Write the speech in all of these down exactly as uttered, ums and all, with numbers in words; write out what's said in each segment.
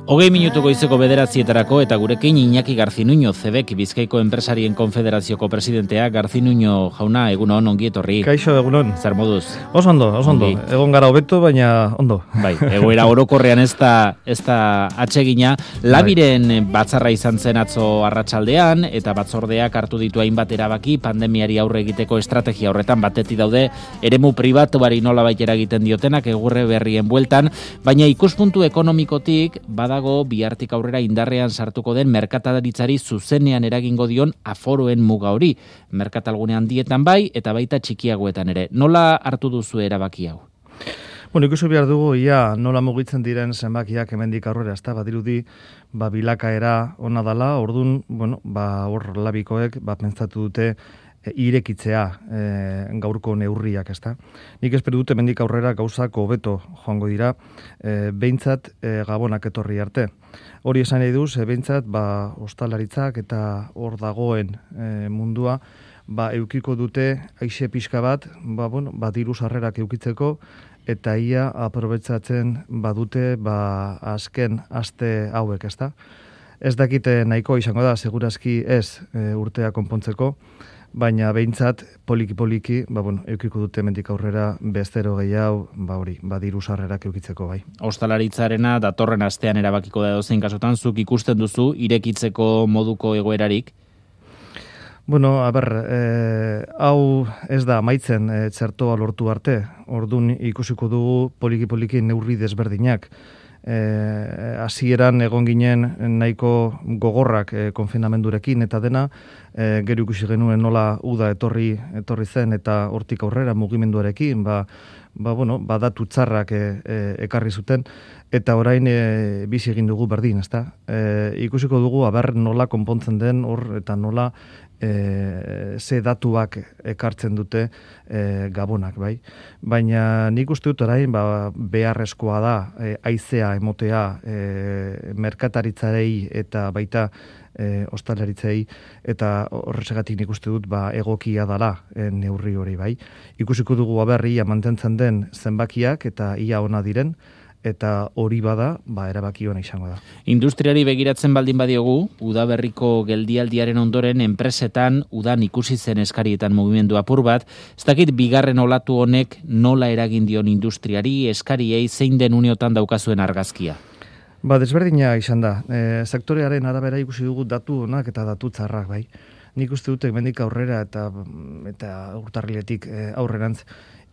Hogei minutu goizeko bederatzietarako eta gurekin Iñaki Garzinuño, Zebek Bizkaiko Enpresarien Konfederazioko presidentea. Garzinuño jauna, egunon, ongi etorri. Kaixo, egunon. Zer moduz? Oso ondo, oso ondo. Ongi. Egon gara hobeto, baina ondo. Bai, egoera orokorrean ez da, ez da atsegina. Labiren batzarra izan zen atzo arratsaldean eta batzordeak hartu ditu hainbat erabaki pandemiari aurre egiteko estrategia horretan. Batetik daude eremu pribatuari nolabait eragiten diotenak egurre berrien bueltan, baina ikuspuntu ekonomikotik bada dago bihartik aurrera indarrean sartuko den merkataritzari zuzenean eragingo dion aforoen muga hori. Merkatalgune handietan bai eta baita txikiagoetan ere. Nola hartu duzu erabaki hau? Bueno, ikusi behar dugu, ia, nola mugitzen diren zenbakiak hemendik aurrera, ezta, badirudi, ba, bilakaera ona dala, ordun, bueno, ba, hor labikoek, ba, pentsatu dute, irekitzea e, gaurko neurriak, ezta. Nik espero dute hemendik aurrera gauzak hobeto joango dira, e, behintzat e, gabonak etorri arte. Hori esan nahi duz, e, behintzat ba, ostalaritzak eta hor dagoen e, mundua ba, eukiko dute aixe pixka bat, ba, bueno, ba, diru sarrerak eukitzeko, eta ia aprobetsatzen badute ba, azken aste hauek, ezta. Ez dakite nahiko izango da, segurazki ez e, urtea konpontzeko, baina behintzat poliki-poliki, ba, bueno, eukiko dute hemendik aurrera bestero gehiago, ba hori, ba diru sarrerak eukitzeko bai. Ostalaritzarena datorren astean erabakiko da edozein kasutan, zuk ikusten duzu irekitzeko moduko egoerarik? Bueno, a ber, eh, hau ez da amaitzen eh, txertoa lortu arte, ordun ikusiko dugu poliki-poliki neurri desberdinak. Hasieran eh, egon ginen nahiko gogorrak eh, konfinamendurekin eta dena, eh, gero ikusi genuen nola uda etorri etorri zen eta hortik aurrera mugimenduarekin, ba, ba, bueno, ba datu txarrak eh, eh, ekarri zuten, eta orain eh, bizi egin dugu berdin, ezta? Eh, ikusiko dugu aber nola konpontzen den hor eta nola E, ze datuak ekartzen dute e, gabonak, bai. Baina nik uste dut orain ba, beharrezkoa da e, haizea emotea e, merkataritzarei eta baita e, ostalaritzei, eta horregatik nik uste dut ba, egokia dala e, neurri hori, bai. Ikusiko dugu aberria mantentzen den zenbakiak eta ia ona diren, eta hori bada, ba, erabaki ona izango da. Industriari begiratzen baldin badiogu, udaberriko geldialdiaren ondoren enpresetan udan ikusi zen eskarietan mugimendu apur bat, ez dakit bigarren olatu honek nola eragin dion industriari, eskariei zein den uneotan daukazuen argazkia? Ba, desberdina izan da. E, sektorearen arabera ikusi dugu datu onak eta datu txarrak, bai. Nik uste dute hemendik aurrera eta, eta urtarriletik e, aurrerantz,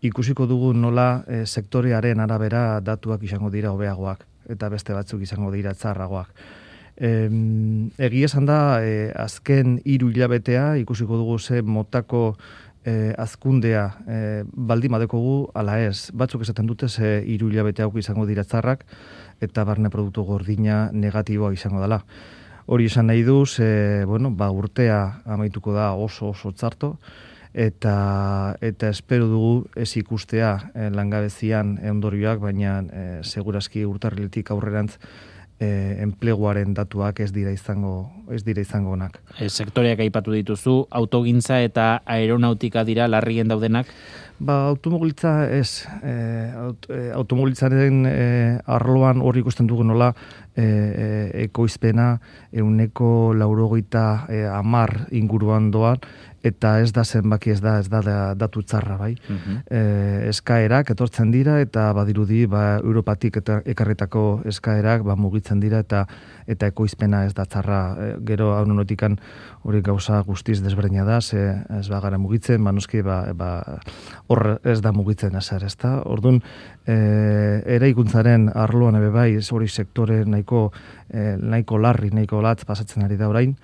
ikusiko dugu nola e, sektorearen arabera datuak izango dira hobeagoak eta beste batzuk izango dira txarragoak. E, Egia esan da, e, azken hiru hilabetea ikusiko dugu ze motako e, azkundea e, baldin badekogu ala ez. Batzuk esaten dute ze hiru hilabete hauek izango dira txarrak eta barne produktu gordina negatiboa izango dela. Hori esan nahi du, ze, bueno, ba, urtea amaituko da oso oso txarto, eta eta espero dugu ez ikustea eh, langabezian ondorioak, baina eh, segurazki urtarriletik aurrerantz eh, enpleguaren datuak ez dira izango ez dira izango onak. E, sektoreak aipatu dituzu, autogintza eta aeronautika dira larrien daudenak? Ba, automobilitza ez, e, aut, e, automobilitzaren e, arloan hori ikusten dugu nola e, e, ekoizpena ehuneko laurogeita e, hamar inguruan doan, eta ez da zenbaki, ez da, ez da, da datu txarra, bai. Uh-huh. E, eskaerak etortzen dira, eta badirudi, ba, Europatik eta ekarritako eskaerak, ba, mugitzen dira, eta eta ekoizpena ez da txarra. E, gero, hau notikan, hori gauza guztiz desberdina da, ze ez ba gara mugitzen, ba, noski, ba, ba, hor ez da mugitzen ezer, ez da? Orduan, e, eraikuntzaren arloan ebe bai, hori sektore nahiko, e, nahiko larri, nahiko latz pasatzen ari da orain,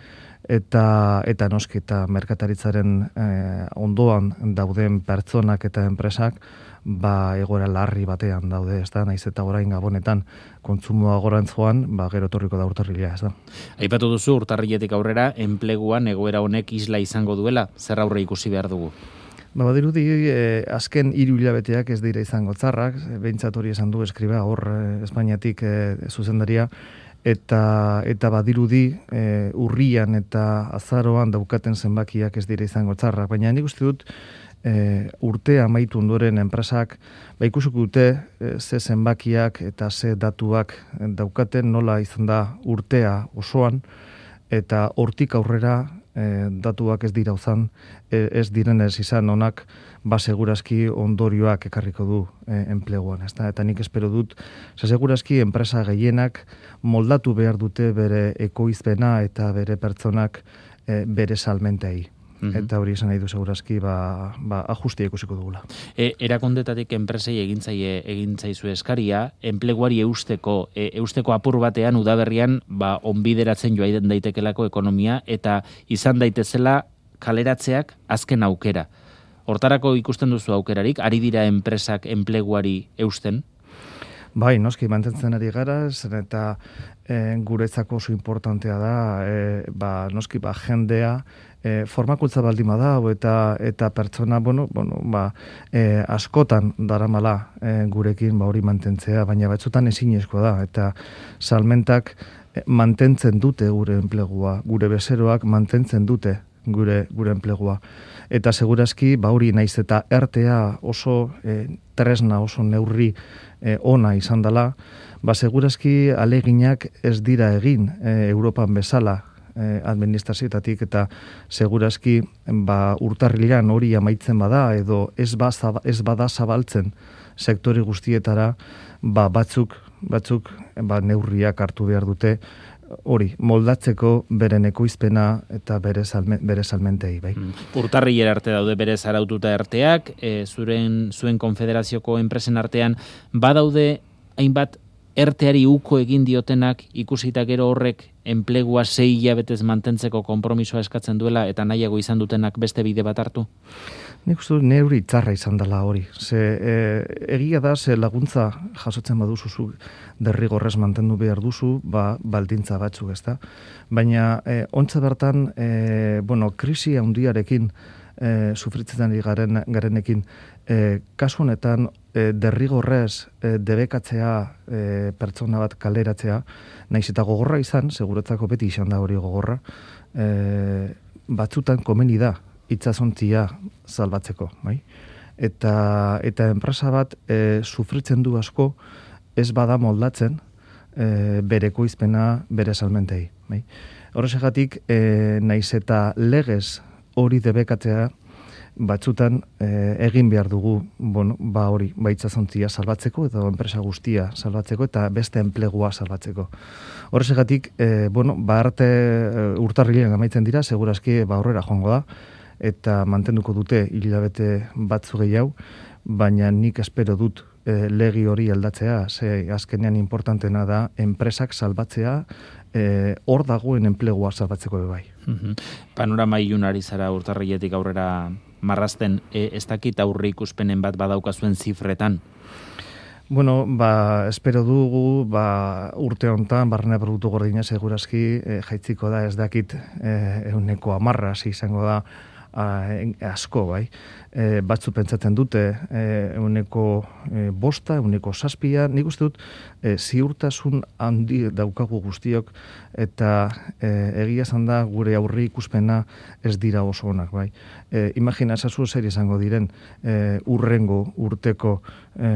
eta eta noski eta merkataritzaren eh, ondoan dauden pertsonak eta enpresak ba egoera larri batean daude, ez da, naiz eta orain Gabonetan kontsumoa gorantz joan, ba gero etorriko da urtarrilea, ez da. Aipatu duzu urtarriletik aurrera enpleguan egoera honek isla izango duela, zer aurre ikusi behar dugu? Ba, badirudi, eh, azken hiru hilabeteak ez dira izango txarrak, behintzat hori esan du eskriba, hor eh, Espainiatik eh, zuzendaria, eta eta badirudi e, urrian eta azaroan daukaten zenbakiak ez dira izango txarrak, baina nik uste dut e, urtea amaitu ondoren enpresak ba ikusiko dute e, ze zenbakiak eta ze datuak daukaten, nola izan da urtea osoan, eta hortik aurrera e, datuak ez dira uzan, e, ez direnez izan onak, ba segurazki ondorioak ekarriko du e, enpleguan, ezta? Eta nik espero dut, ze segurazki enpresa gehienak moldatu behar dute bere ekoizpena eta bere pertsonak e, bere salmentei. Mm-hmm. Eta hori esan nahi du segurazki ba, ba ajustia ikusiko dugula. E, erakondetatik enpresei egintzaie egintzaizu eskaria, enpleguari eusteko, e, eusteko apur batean udaberrian ba onbideratzen joa daitekelako ekonomia eta izan daitezela kaleratzeak azken aukera. Hortarako ikusten duzu aukerarik, ari dira enpresak enpleguari eusten? Bai, noski, mantentzen ari gara, zen eta e, guretzako oso importantea da, e, ba, noski, ba, jendea, e, formakuntza baldima da, eta eta pertsona, bueno, bueno, ba, e, askotan daramala e, gurekin ba, hori mantentzea, baina batzutan ezinezkoa da, eta salmentak e, mantentzen dute gure enplegua, gure bezeroak mantentzen dute gure gure enplegua. Eta segurazki, ba hori naiz eta ertea oso e, tresna, oso neurri e, ona izan dela, ba segurazki aleginak ez dira egin e, Europan bezala e, administrazioetatik, eta segurazki ba urtarrilean hori amaitzen bada edo ez, ba, ez bada zabaltzen sektore guztietara, ba batzuk, batzuk ba, neurriak hartu behar dute, hori, moldatzeko beren ekoizpena eta bere, salme, bere salmentei, bai. Mm. Urtarrilera arte daude bere zaraututa arteak, e, zuren, zuen konfederazioko enpresen artean, badaude hainbat erteari uko egin diotenak, ikusita gero horrek enplegua sei hilabetez mantentzeko konpromisoa eskatzen duela eta nahiago izan dutenak beste bide bat hartu? Nik uste neuri txarra izan dela hori. Ze, e, egia da, ze laguntza jasotzen baduzu zu derrigorrez mantendu behar duzu, ba, baldintza batzuk, ezta? Baina, e, ontsa bertan, e, bueno, krisi handiarekin e, sufritzen garen, garenekin, e, kasu honetan, e, derrigorrez e, debekatzea e, pertsona bat kaleratzea, naiz eta gogorra izan, seguretzako beti izan da hori gogorra, e, batzutan komeni da, itsasontzia salbatzeko, bai? Eta eta enpresa bat e, sufritzen du asko ez bada moldatzen e, bere ekoizpena, bere salmentei, bai? Horrexegatik e, naiz eta legez hori debekatzea batzutan e, egin behar dugu, bueno, ba hori, ba itsasontzia salbatzeko edo enpresa guztia salbatzeko eta beste enplegua salbatzeko. Horrexegatik, e, bueno, ba arte e, urtarrilean amaitzen dira, segurazki ba aurrera joango da, eta mantenduko dute hilabete batzu gehiago, baina nik espero dut e, legi hori aldatzea, ze azkenean importantena da enpresak salbatzea, e, hor dagoen enplegua salbatzeko bai. Mm-hmm. Panorama ilunari zara urtarriletik aurrera marrazten, e, ez dakit aurre ikuspenen bat badaukazuen zifretan? Bueno, ba, espero dugu, ba, urte honetan, barrena produktu gordina segurazki, e, jaitziko da, ez dakit, e, euneko amarra, izango da, a, asko, bai. E, batzu pentsatzen dute, e, euneko e, bosta, euneko saspia, nik uste dut, e, ziurtasun handi daukagu guztiok, eta e, egia esan da gure aurri ikuspena ez dira oso onak, bai. E, imagina esazu zer izango diren e, urrengo urteko e,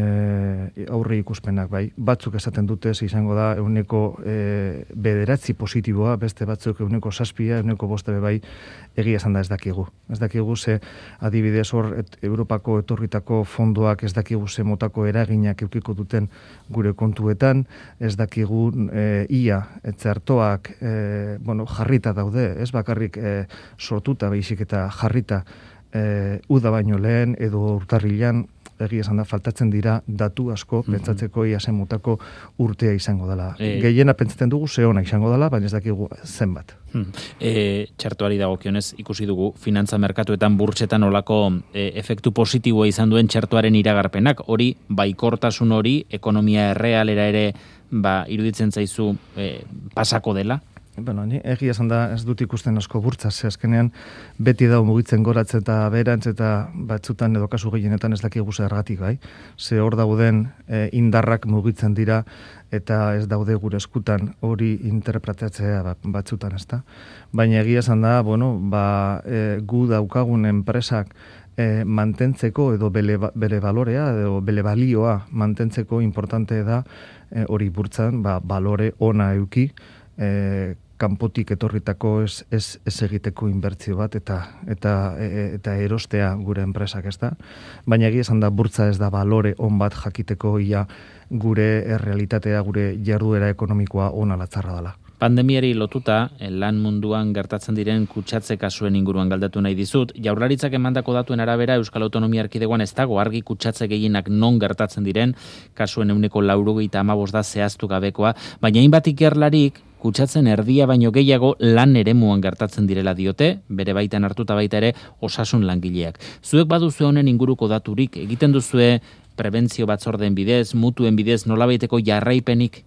aurri ikuspenak, bai. Batzuk esaten dute ez izango da euneko e, bederatzi positiboa, beste batzuk euneko saspia, euneko boste bai, egia esan da ez dakigu. Ez dakigu ze adibidez hor et, Europako etorritako fondoak ez dakigu ze motako eraginak eukiko duten gure kontuetan, ez dakigu e, ia, etzertoak e, bueno, jarrita daude, ez bakarrik e, sortuta baizik eta jarrita e, uda baino lehen edo urtarrilean, egia esan da, faltatzen dira datu asko mm-hmm. pentsatzeko ia zen motako urtea izango dela. E... Gehiena pentsatzen dugu ze ona izango dela, baina ez dakigu zenbat. Hmm. E, txartuari dagokionez ikusi dugu finantza merkatuetan burtsetan olako e, efektu positiboa izan duen txartuaren iragarpenak. Hori, baikortasun hori, ekonomia errealera ere ba, iruditzen zaizu e, pasako dela? Bueno, ni egia esan da ez dut ikusten asko burtsa, ze azkenean beti da mugitzen goratze eta berantz eta batzutan edo kasu gehienetan ez dakigu zergatik, bai. Ze hor dauden e, indarrak mugitzen dira eta ez daude gure eskutan hori interpretatzea batzutan, ezta. Baina egia esan da, bueno, ba, e, gu daukagun enpresak e, mantentzeko edo bere, bere balorea edo bere balioa mantentzeko importante da e, hori burtzan ba, balore ona euki e, kanpotik etorritako ez, ez, ez egiteko inbertzio bat eta eta e, eta erostea gure enpresak, ez da. Baina egia esan da burtza ez da balore on bat jakiteko ia gure realitatea, gure jarduera ekonomikoa ona latzarra dela. Pandemiari lotuta, lan munduan gertatzen diren kutsatze kasuen inguruan galdatu nahi dizut. Jaurlaritzak emandako datuen arabera Euskal Autonomia Erkidegoan ez dago argi kutsatze gehienak non gertatzen diren, kasuen ehuneko laurogeita hamabost da zehaztu gabekoa, baina hainbat ikerlarik kutsatzen erdia baino gehiago lan eremuan gertatzen direla diote, bere baitan hartuta baita ere osasun langileak. Zuek baduzue honen inguruko daturik, egiten duzue prebentzio batzordeen bidez, mutuen bidez, nolabaiteko jarraipenik?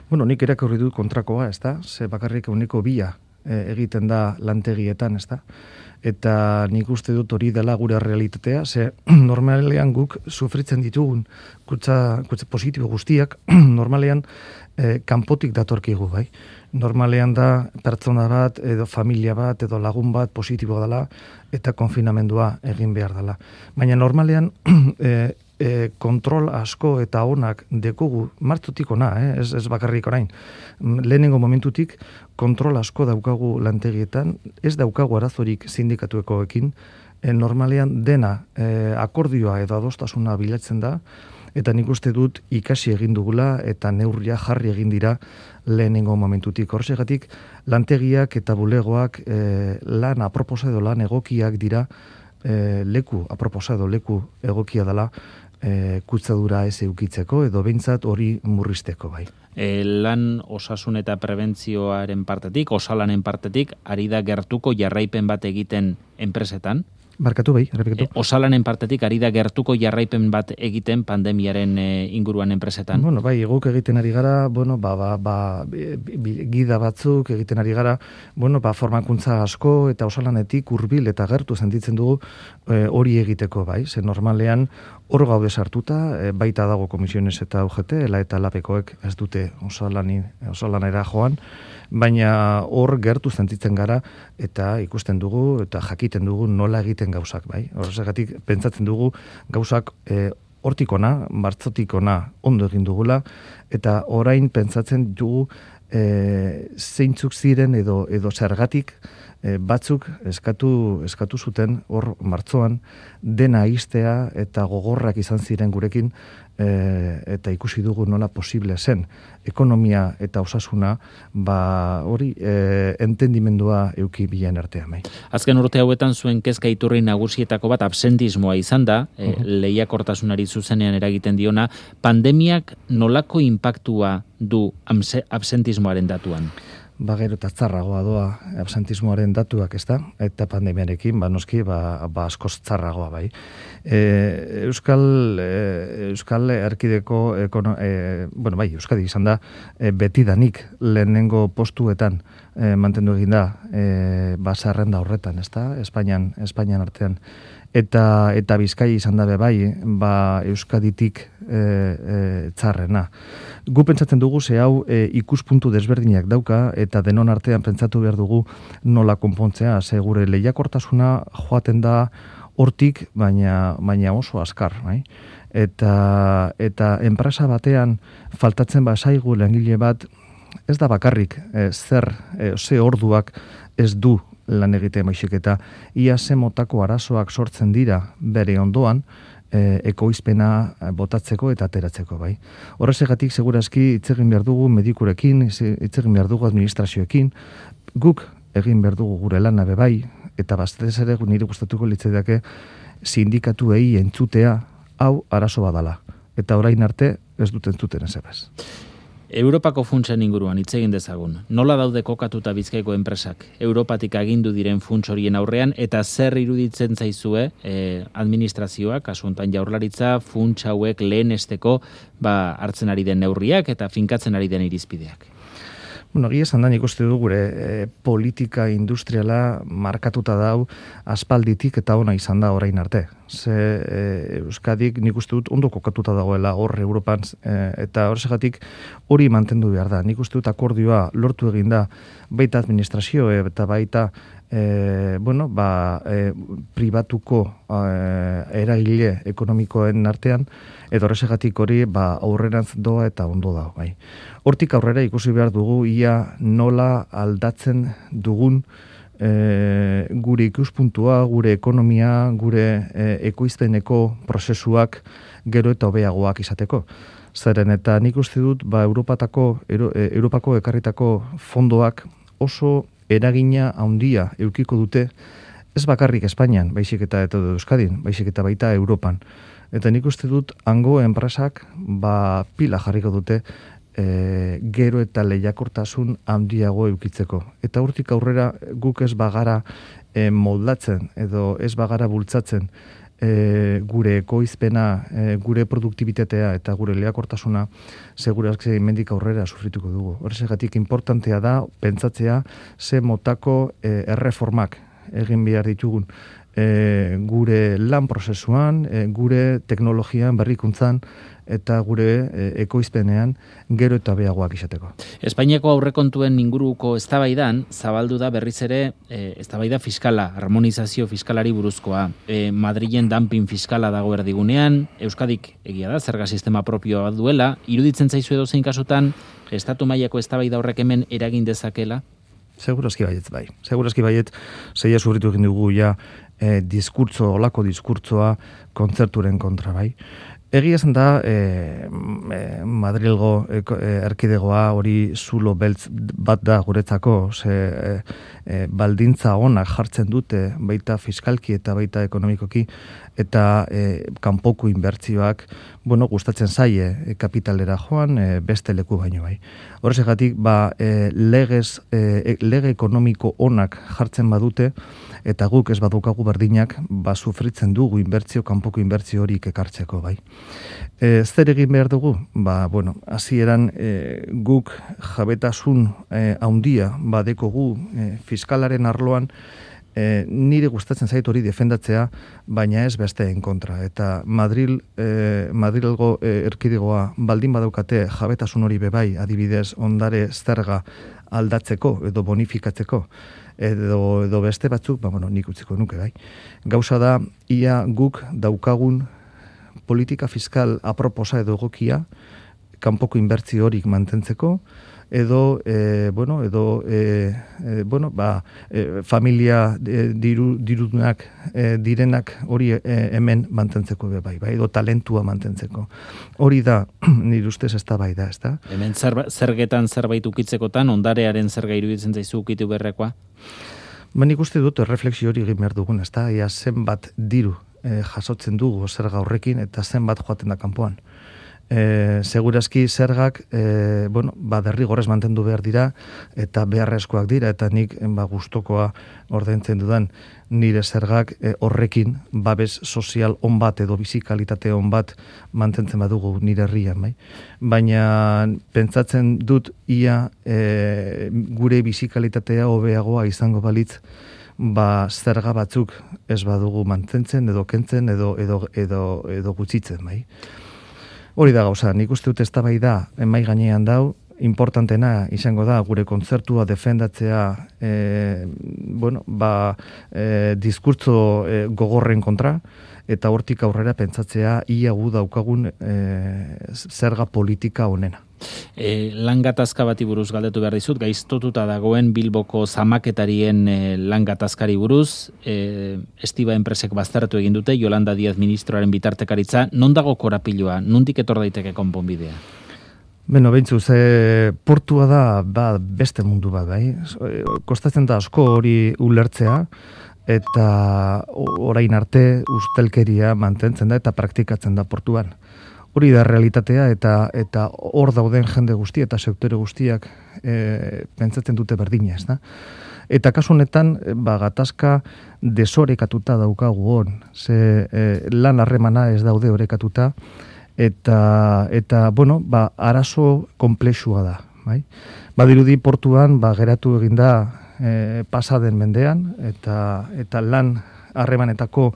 Bueno, nik erakurri dut kontrakoa, ez da? Ze bakarrik euneko bila e, egiten da lantegietan, ez da? Eta nik uste dut hori dela gure realitatea, ze normalean guk sufritzen ditugun kutsa, kutsa positibo guztiak, normalean e, kanpotik datorkigu, bai? Normalean da pertsona bat, edo familia bat, edo lagun bat positibo dela, eta konfinamendua egin behar dela. Baina normalean e, E, kontrol asko eta onak dekugu, martzutik ona, eh? ez, ez bakarrik orain. Lehenengo momentutik kontrol asko daukagu lantegietan, ez daukagu arazorik sindikatuekoekin, e, normalean dena e, akordioa edo adostasuna bilatzen da, eta nik uste dut ikasi egin dugula eta neurria jarri egin dira lehenengo momentutik. Horsegatik, lantegiak eta bulegoak e, lan aproposa edo lan egokiak dira, e, leku aproposa edo leku egokia dela, E, kutsadura ez eukitzeko edo behintzat hori murrizteko bai. E, lan osasun eta prebentzioaren partetik, osalanen partetik, ari da gertuko jarraipen bat egiten enpresetan? Barkatu bai, errepikatu. E, osalanen partetik ari da gertuko jarraipen bat egiten pandemiaren e, inguruan enpresetan? Bueno, bai, eguk egiten ari gara, bueno, ba, ba, ba, gida batzuk egiten ari gara, bueno, ba, formakuntza asko eta osalanetik hurbil eta gertu sentitzen dugu hori e, egiteko, bai, ze normalean hor gaude sartuta, e, baita dago komisiones eta U G T, ela eta lapekoek ez dute osalani, osalanera joan, baina hor gertu sentitzen gara eta ikusten dugu eta jakiten dugu nola egiten gauzak, bai. Horregatik pentsatzen dugu gauzak e, hortik ona, martzotik ona ondo egin dugula eta orain pentsatzen dugu e, zeintzuk ziren edo edo zergatik e, batzuk eskatu eskatu zuten hor martzoan dena iztea eta gogorrak izan ziren gurekin e, eta ikusi dugu nola posible zen ekonomia eta osasuna ba hori e, entendimendua euki bilen artean bai. Azken urte hauetan zuen kezka iturri nagusietako bat absentismoa izan da, e, uh-huh. lehiakortasunari zuzenean eragiten diona, pandemiak nolako inpaktua du absentismoaren datuan? Ba, gero eta txarragoa doa absentismoaren datuak, ez da? Eta pandemiarekin, ba, noski, ba, ba askoz txarragoa, bai. E, Euskal, e, Euskal Erkideko, ekono, e, bueno, bai, Euskadi izan da, e, betidanik lehenengo postuetan e, mantendu egin da, e, ba, zerrenda horretan, ez da? Espainian, Espainian artean. Eta, eta Bizkai izan dabe bai, ba, Euskaditik e, e, txarrena. Gu pentsatzen dugu ze hau e, ikuspuntu desberdinak dauka eta denon artean pentsatu behar dugu nola konpontzea, ze gure lehiakortasuna joaten da hortik, baina, baina oso azkar, bai? Eta, eta enpresa batean faltatzen bazaigu langile bat, ez da bakarrik e, zer, e, ze orduak ez du lan egitea maizik eta ia ze motako arazoak sortzen dira bere ondoan e, ekoizpena botatzeko eta ateratzeko, bai. Horrezegatik segurazki hitz egin behar dugu medikurekin, hitz egin behar dugu administrazioekin, guk egin behar dugu gure lana be bai, eta baztez ere nire gustatuko litzaidake sindikatuei entzutea hau arazo badala. Eta orain arte ez duten entzuten ezebez. Europako funtsen inguruan hitz egin dezagun. Nola daude kokatuta Bizkaiko enpresak Europatik agindu diren funts horien aurrean eta zer iruditzen zaizue eh, administrazioak, kasu honetan Jaurlaritza, funts hauek lehenesteko ba, hartzen ari den neurriak eta finkatzen ari den irizpideak? Bueno, egia esan da nik uste du gure e, politika industriala markatuta dau aspalditik eta ona izan da orain arte. ze e, Euskadik nik uste dut ondo kokatuta dagoela hor Europan, e, eta horregatik hori mantendu behar da. Nik uste dut akordioa lortu eginda baita administrazio eta baita E, bueno, ba, e, pribatuko e, eragile ekonomikoen artean, edo horregatik hori ba, aurrerantz doa eta ondo da. Bai. Hortik aurrera ikusi behar dugu ia nola aldatzen dugun e, gure ikuspuntua, gure ekonomia, gure e, ekoizpeneko prozesuak gero eta hobeagoak izateko. Zeren eta nik uste dut ba, Europatako, Euro, e, Europako ekarritako fondoak oso eragina handia eukiko dute, ez bakarrik Espainian, baizik eta eta Euskadin, baizik eta baita Europan. Eta nik uste dut, hango enpresak ba, pila jarriko dute e, gero eta lehiakortasun handiago eukitzeko. Eta hortik aurrera guk ez bagara e, moldatzen, edo ez bagara bultzatzen E, gure ekoizpena, e, gure produktibitatea eta gure lehiakortasuna segurazki mendik aurrera sufrituko dugu. Horregatik importantea da pentsatzea ze motako e, erreformak egin behar ditugun e, gure lan prozesuan, e, gure teknologian, berrikuntzan eta gure e, ekoizpenean gero eta beagoak izateko. Espainiako aurrekontuen inguruko eztabaidan zabaldu da berriz ere e, eztabaida fiskala, harmonizazio fiskalari buruzkoa. E, Madrilen dumping fiskala dago erdigunean, Euskadik egia da, zerga sistema propioa duela, iruditzen zaizu edozein kasutan, estatu mailako eztabaida horrek hemen eragin dezakela? Segurazki baiet, bai. Segurazki baiet, zeia sufritu egin dugu ja e, diskurtzo, olako diskurtzoa kontzerturen kontra, bai. Egia esan da, e, e, Madrilgo e, erkidegoa hori zulo beltz bat da guretzako, ze e, e, baldintza onak jartzen dute baita fiskalki eta baita ekonomikoki, eta e, kanpoko inbertsioak, bueno, gustatzen zaie e, kapitalera joan, e, beste leku baino bai. Horregatik, ba, e, legez, e, lege ekonomiko onak jartzen badute, eta guk ez badukagu berdinak, ba, sufritzen dugu inbertzio, kanpoko inbertzio horik ekartzeko bai. E, zer egin behar dugu? Ba, bueno, hasieran e, guk jabetasun e, haundia badekogu e, fiskalaren arloan, e, nire gustatzen zait hori defendatzea, baina ez besteen kontra. Eta Madril, e, Madrilgo e, erkidegoa baldin badaukate jabetasun hori bebai, adibidez ondare zerga aldatzeko edo bonifikatzeko, edo, edo beste batzuk, ba, bueno, nik utziko nuke bai. Gauza da, ia guk daukagun politika fiskal aproposa edo egokia, kanpoko inbertzio horik mantentzeko, edo, e, bueno, edo, e, e, bueno, ba, e, familia e, diru, dirudunak e, direnak hori e, hemen mantentzeko be bai, bai, edo talentua mantentzeko. Hori da, nire ustez ez da bai da, ez da? Hemen zer, zergetan zerbait ukitzekotan, ondarearen zerga iruditzen zaizu ukitu berrekoa? Ba, nik uste dut refleksio hori egin behar dugun, ez da? Ia zenbat diru e, jasotzen dugu zerga horrekin eta zenbat joaten da kanpoan. E, segurazki zergak e, bueno, ba, derrigorrez mantendu behar dira eta beharrezkoak dira eta nik ba, gustokoa ordaintzen dudan nire zergak e, horrekin babes sozial on bat edo bizikalitate on bat mantentzen badugu nire herrian, bai. Baina pentsatzen dut ia e, gure bizikalitatea hobeagoa izango balitz ba, zerga batzuk ez badugu mantentzen edo kentzen edo, edo, edo, edo gutxitzen, bai. Hori da gauza, nik uste dut eztabaida mai gainean dau, importantena izango da gure kontzertua defendatzea e, bueno, ba, e, diskurtso e, gogorren kontra, eta hortik aurrera pentsatzea ia gu daukagun e, zerga politika honena. E, lan gatazka bati buruz galdetu behar dizut, gaiztotuta dagoen Bilboko zamaketarien e, lan gatazkari buruz, e, Estiba enpresek baztertu egin dute, Yolanda Díaz ministroaren bitartekaritza, non dago korapiloa, nondik etor daiteke konponbidea? Beno, behintzu, ze portua da ba, beste mundu bat, bai? Kostatzen da asko hori ulertzea, eta orain arte ustelkeria mantentzen da eta praktikatzen da portuan. Hori da realitatea eta eta hor dauden jende guzti eta sektore guztiak e, pentsatzen dute berdina, ez da? Eta kasu honetan, ba, gatazka desorekatuta daukagu hon, ze e, lan harremana ez daude orekatuta, eta, eta bueno, ba, arazo komplexua da, bai? Badirudi portuan, ba, geratu eginda e, pasaden mendean, eta, eta lan harremanetako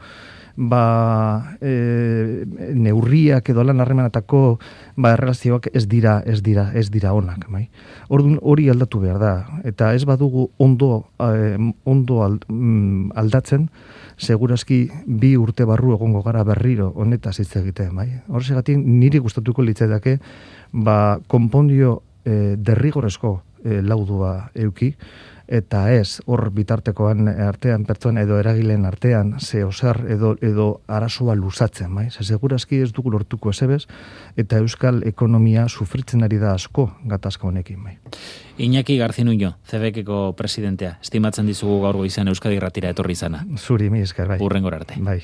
ba, e, neurriak edo lan harremanetako ba, erlazioak ez dira, ez dira, ez dira onak, bai. Orduan hori aldatu behar da, eta ez badugu ondo, eh, ondo aldatzen, segurazki bi urte barru egongo gara berriro honetaz hitz egiten, bai. Horregatik niri gustatuko litzaidake, ba, konpondio e, derrigorezko e, laudua euki, eta ez hor bitartekoan artean pertsona edo eragileen artean ze oser edo edo arazoa luzatzen, bai? Ze segurazki ez dugu lortuko esebez eta euskal ekonomia sufritzen ari da asko gatazka honekin, bai. Iñaki Garzinuño, C B K-ko presidentea, estimatzen dizugu gaur goizean Euskadi Irratira etorri izana. Zuri, mi esker, bai. Hurrengora arte. Bai.